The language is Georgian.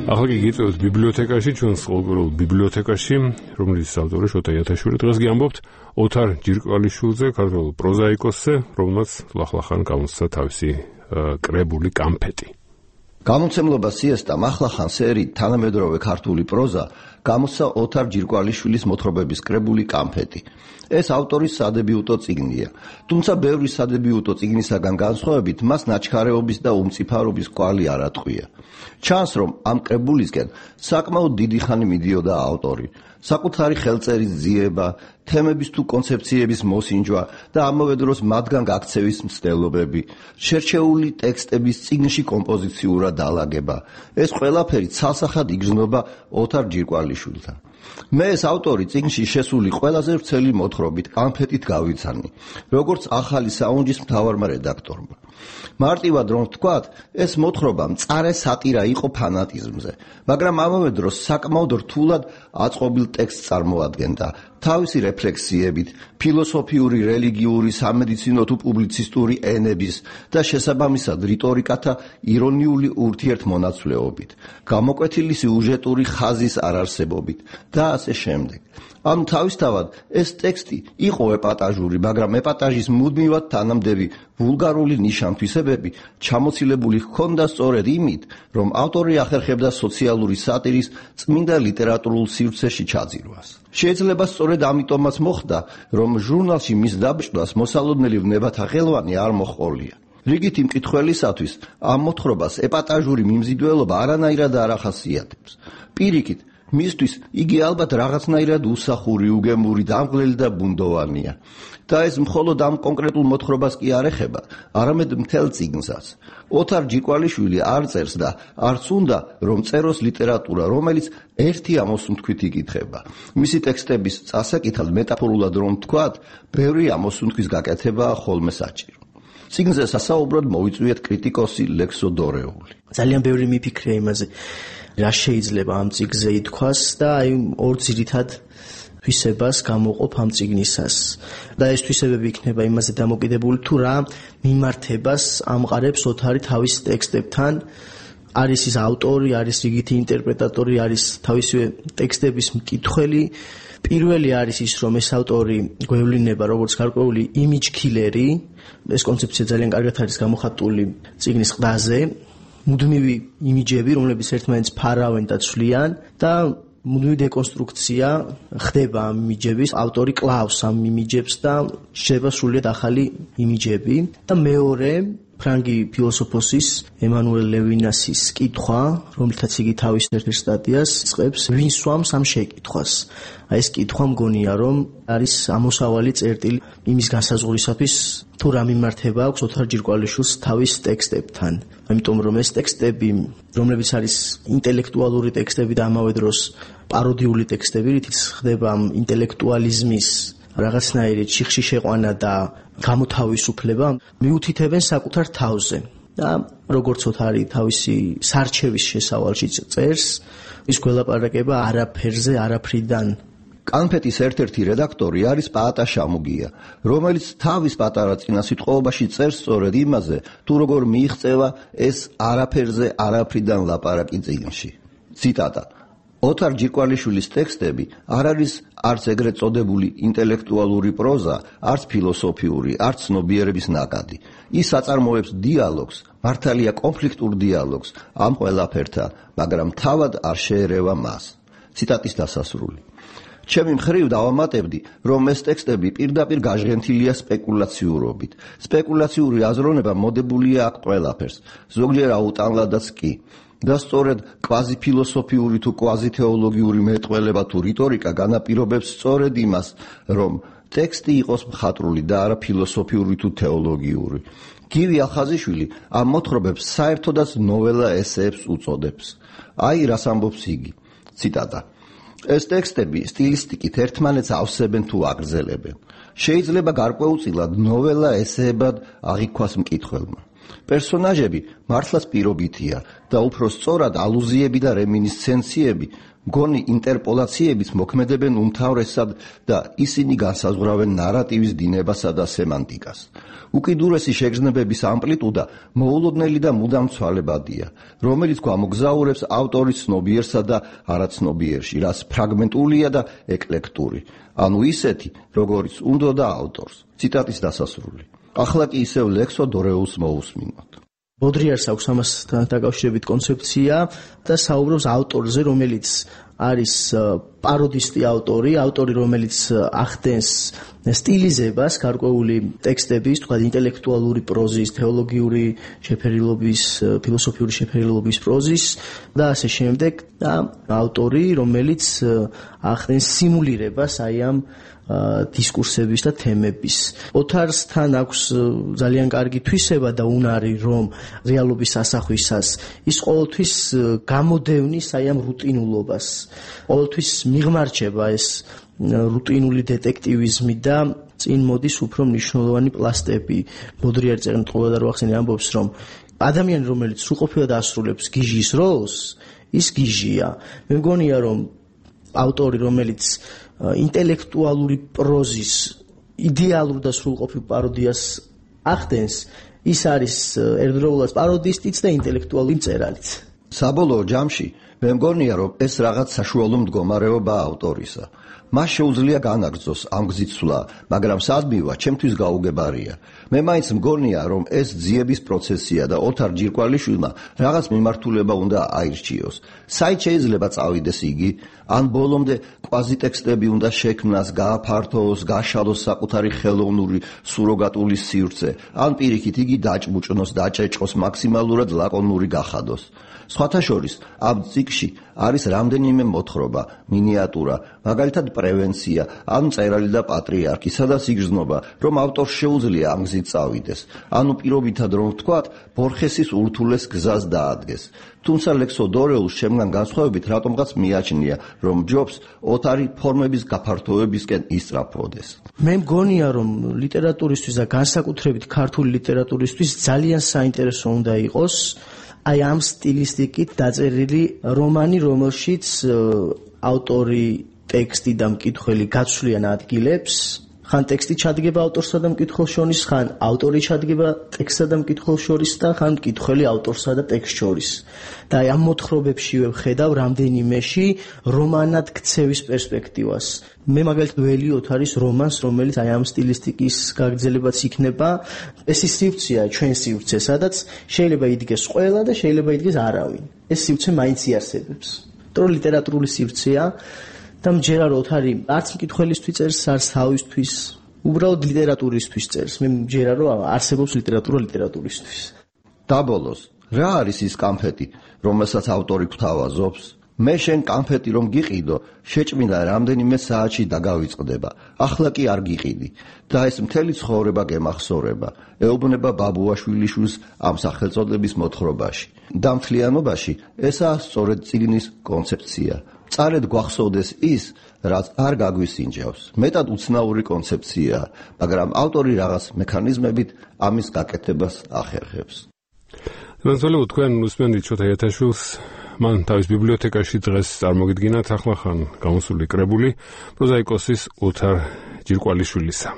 ახლა კი გიწევთ ბიბლიოთეკაში, ჩვენს ყოველდღიურ ბიბლიოთეკაში, რომლის ავტორი შოთა იათაშვილი. დღეს გიამბობთ ოთარ ჯირკვალიშვილზე, ქართველ პროზაიკოსზე, რომელმაც ლახლახან გამოსცა თავისი კრებული კამფეტი. გამომცემლობა სიესტამ ახლახან სერიით თანამედროვე ქართული პროზა გამოსცა ოთარ ჯირკვალიშვილის მოთხრობების კრებული კამფეტი. ეს ავტორის სადებიუტო წიგნია, თუმცა ბევრი სადებიუტო წიგნისაგან განსხვავებით მას ნაჩქარეობის და უმწიფარობის კვალი არ ატყვია. ჩანს, რომ ამ კრებულისკენ საკმაოდ დიდი ხანი მიდიოდა ავტორი, საკუთარი ხელწერის ძიება, თემების თუ კონცეფციების მოსინჯვა და ამავე დროს მათგან გაქცევის მცდელობები, შერჩეული ტექსტების წიგნში კომპოზიციურად დალაგება. ეს ყველაფერი ცალსახად იგრძნობა ოთარ ჯირკვალიშვილთან. მე ეს ავტორი წიგნში შესული ყველაზე ვრცელი მოთხრობით კამფეტით გავიცანი, როგორც ახალი საუნჯის მთავარმა რედაქტორმა. მარტივად რომ ვთქვათ, ეს მოთხრობა მწარე სატირა იყო ფანატიზმზე, მაგრამ ამავე დროს საკმაოდ რთულად აწყობილ ტექსტს წარმოადგენდა, თავისი რეფლექსიებით, ფილოსოფიური, რელიგიური, სამედიცინო თუ პუბლიცისტური ენების და შესაბამისად რიტორიკათა ირონიული ურთიერთმონაცვლეობით, გამოკვეთილი სიუჟეტური ხაზის არარსებობით და ასე შემდეგ. ამ თავისთავად ეს ტექსტი იყო ეპატაჟური, მაგრამ ეპატაჟის მუდმივად თანამდევი ვულგარული ნიშან-თვისებები ჩამოცილებული ჰქონდა სწორედ იმით, რომ ავტორი ახერხებდა სოციალური სატირის წმინდა ლიტერატურულ სივრცეში ჩაძირვას. შეიძლება სწორედ ამიტომაც მოხდა, რომ ჟურნალში მის დაბჭდვას მოსალოდნელი ვნებათა ხელვანი არ მოჰყოლია. რიგითი მკითხველისათვის ამ მოთხრობას ეპატაჟური მიმზიდველობა არანაირად არ ახასიათებს. პირიქით, მისთვის იგი ალბათ რაღაცნაირად უსახური, უგემური, დამღლელი და ბუნდოვანია. და ეს მხოლოდ ამ კონკრეტულ მოთხრობას კი არ ეხება, არამედ მთელ წიგნსაც. ოთარ ჯირკვალიშვილი არ წერს და არც უნდა, რომ წეროს ლიტერატურა, რომელიც ერთი ამოსუნთქვით იკითხება. მისი ტექსტების წასაკითხად მეტაფორულად რომ ვთქვათ, ბევრი ამოსუნთქვის გაკეთებაა ხოლმე საჭირო. წიგნზე სასაუბროდ მოვიწვიეთ კრიტიკოსი ლექსო დორეული. ძალიან ბევრი მიფიქრია იმაზე, რა შეიძლება ამ წიგნზე ითქვას და აი ორ ძირითად თვისებას გამოყოფ ამ წიგნისას. და ეს თვისებები იქნება იმაზე დამოკიდებული, თუ რა მიმართებას ამყარებს ოთარი თავის ტექსტებთან, არის ის ავტორი, არის რიგითი ინტერპრეტატორი, არის თავისივე ტექსტების მკითხველი. პირველი არის ის, რომ ეს ავტორი გვევლინება როგორც გარკვეული იმიჯ კილერი, ეს კონცეფცია ძალიან კარგად არის გამოხატული წიგნის ყდაზე. მუდმივი იმიჯები, რომლებიც ერთმანეთს ფარავენ და ცვლიან და მუდმივი დეკონსტრუქცია ხდება ამ იმიჯების, ავტორი კლავს ამ იმიჯებს და შეება სრულიად ახალი იმიჯები. და მეორე, ფრანგი ფილოსოფოსის ემანუელ ლევინასის კითხვა, რომელთაც იგი თავის ერთ-ერთ სტატიას იწყებს, ვინ სვამს ამ შეკითხვას. აი ეს კითხვა მგონია, რომ არის ამოსავალი წერტილი იმის განსაზღვრისათვის, თუ რა მიმართება აქვს ოთარ ჯირკვალიშვილს თავის ტექსტებთან. ამიტომ რომ ეს ტექსტები, რომლებიც არის ინტელექტუალური ტექსტები და ამავე დროს პაროდიული ტექსტები, რითიც ხდება ინტელექტუალიზმის რაღაცნაირი ჩიხში შეყვანა და გამოთავისუფლება, მიუთითებენ საკუთარ თავზე. და როგორც ოთარი თავისი სარჩევის შესავალში წერს, ის გველაპარაკება არაფერზე, არაფრიდან. კამფეტის ერთ-ერთი რედაქტორი არის პაატა შამუგია, რომელიც თავის პატარა წინასიტყვაობაში წერს სწორედ იმაზე, თუ როგორ მიიღწევა ეს არაფერზე, არაფრიდან ლაპარაკი წიგნში. ციტატა: ოთარ ჯირკვალიშვილის ტექსტები არ არის არც ეგრეთ წოდებული ინტელექტუალური პროზა, არც ფილოსოფიური, არც ცნობიერების ნაკადი. ის აწარმოებს დიალოგს, მართალია კონფლიქტურ დიალოგს ამ ყველაფერთან, მაგრამ თავად არ შეერევა მას. ციტატის დასასრული. ჩემი მხრივ დავამატებდი, რომ ეს ტექსტები პირდაპირ გაჟღენთილია სპეკულაციურობით. სპეკულაციური აზროვნება მოდებულია აქ ყველაფერს, ზოგჯერ აუტანლადაც კი. და სწორედ კვაზიფილოსოფიური თუ კვაზითეოლოგიური მეტყველება თუ რიტორიკა განაპირობებს სწორედ იმას, რომ ტექსტი იყოს მხატვრული და არა ფილოსოფიური თუ თეოლოგიური. გივი ახაზიშვილი ამ მოთხრობებს საერთოდაც ნოველა ესეებს უწოდებს. აი რას ამბობს იგი. ციტატა: ეს ტექსტები სტილისტიკით ერთმანეთს ავსებენ თუ აგრძელებენ. შეიძლება გარკვეულწილად ნოველა ესეებად აღიქვას მკითხველმა. პერსონაჟები მართლაც პირობითია და უფრო სწორად ალუზიები და რემინისცენციები მგონი ინტერპოლაციების მოქმედებენ უმთავრესად და ისინი განსაზღვრავენ ნარატივის დინებასა და სემანტიკას. უკიდურესი შეგრძნებების ამპლიტუდა მოულოდნელი და მუდამ ცვალებადია, რომელიც გვამოგზაურებს ავტორის ცნობიერსა და არაცნობიერში, რაც ფრაგმენტულია და ეკლექტური, ანუ ისეთი, როგორიც უნდოდა ავტორს. ციტატის დასასრული. ახლა კი ისევ ლექსო დორეულს მოусმინოთ. ბოდრიარს აქვს ამასთან დაკავშირებით კონცეფცია და საუბრობს ავტორზე, რომელიც არის პაროდისტი ავტორი, რომელიც ახდენს სტილიზებას გარკვეული ტექსტების, თქვა ინტელექტუალური პროზის, თეოლოგიური შეფერილობის, ფილოსოფიური შეფერილობის პროზის და ასე შემდეგ და ავტორი, რომელიც ახდენს სიმულირებას აი ამ დისკურსების და თემების. ოთარსთან აქვს ძალიან კარგი თვისება და უნარი, რომ რეალობის ასახვისას ის ყოველთვის გამოდევნის აი ამ რუტინულობას. ყოველთვის მიღმარჩება ეს რუტინული დეტექტივიზმი და წინ მოდის უფრო მნიშვნელოვანი პლასტები. ბოდრიარი წერმწყობა და როახსენი ამბობს, რომ ადამიანი, რომელიც სრულყოფილად ასრულებს გიჟის როლს, ის გიჟია. მე მგონია, რომ ავტორი, რომელიც ინტელექტუალური პროზის იდეალურ და სრულყოფილ პაროდიას ახდენს, ის არის ერთდროულად პაროდისტიც და ინტელექტუალური მწერალიც. საბოლოო ჯამში მე მგონია, რომ ეს რაღაც საშუალო მდგომარეობაა ავტორისა. მას შეუძლია განაგრძოს ამ გზით სვლა, მაგრამ სადმივა ჩემთვის გაუგებარია. მე მაინც მგონია, რომ ეს ძიების პროცესია და ოთარ ჯირკვალიშვილმა რაღაც მიმართულება უნდა აირჩიოს. საით შეიძლება წავიდეს იგი? ან ბოლომდე კვაზიტექსტები უნდა შექმნას, გააფართოოს, გაშალოს საკუთარი ხელოვნური სუროგატული სივრცე, ან პირიქით იგი დაჭმუჭნოს, დაჭეჭყოს, მაქსიმალურად ლაკონური გახადოს. სხვათა შორის, ამ ციკლში არის რამდენიმე მოთხრობა, მინიატურა, მაგალითად პრევენცია, ან მწერალი და პატრიარქი, სადაც იგრძნობა, რომ ავტორს შეუძლია ამ გზით წავიდეს, ანუ პირობითად რომ ვთქვათ, ბორხესის ურთულეს გზას დაადგეს. თუმცა ლექსო დორეულს შემგან განსხვავებით რატომღაც მიაჩნია, რომ ჯობს ოთარი ფორმების გაფართოებისკენ ისწრაფოდეს. მე მგონია, რომ ლიტერატურისთვის და განსაკუთრებით ქართული ლიტერატურისთვის ძალიან საინტერესო უნდა იყოს აი ამ სტილისტიკით დაწერილი რომანი, რომელშიც ავტორი, ტექსტი და მკითხველი გაცვლიან ადგილებს, ხან ტექსტი ჩადგება ავტორსა და მკითხველს შორის, ხან ავტორი ჩადგება ტექსტსა და მკითხველს შორის და ხან მკითხველი ავტორსა და ტექსტს შორის. და აი ამ მოთხრობებში ვხედავ რამდენიმეში რომანად ქცევის პერსპექტივას. მე მაგალითად ველიოთ არის რომანს, რომელიც აი ამ სტილისტიკის გაგრძელებაც იქნება. ეს ის სივრცეა, ჩვენ სივრცე, სადაც შეიძლება იდგეს ყველა და შეიძლება იდგეს არავინ. ეს სივრცე მაინც იარსებებს. იმიტომ ლიტერატურული სივრცეა და მჯერა რომ ოთარი არც მკითხველისთვის წერს, არც თავისთვის, უბრალოდ ლიტერატურისთვის წერს. მე მჯერა რომ არსებობს ლიტერატურა ლიტერატურისთვის. დაბოლოს, რა არის ის კამფეტი, რომელსაც ავტორი გვთავაზობს? მე შენ კამფეტი რომ გიყიდო, შეჭმინდა რამდენიმე საათში დაგავიწყდება. ახლა კი არ გიყიდი და ეს მთელი ცხოვრება გემახსოვრება. ეუბნება ბაბუაშვილიშვილს ამ სახელწოდების მოთხრობაში. და მთლიანობაში ესაა სწორედ წიგნის კონცეფცია. წარედ გვახსოვდეს ის, რაც არ გაგვისინჯავს. მეტად უცნაური კონცეფციაა, მაგრამ ავტორი რაღაც მექანიზმებით ამის გაკეთებას ახერხებს. მოგესალმებით თქვენ უსმენთ შოთა იათაშვილს. მან თავის ბიბლიოთეკაში დღეს წარმოგიდგინათ ახლახან გამოსული კრებული პროზაიკოსის ოთარ ჯირკვალიშვილისა.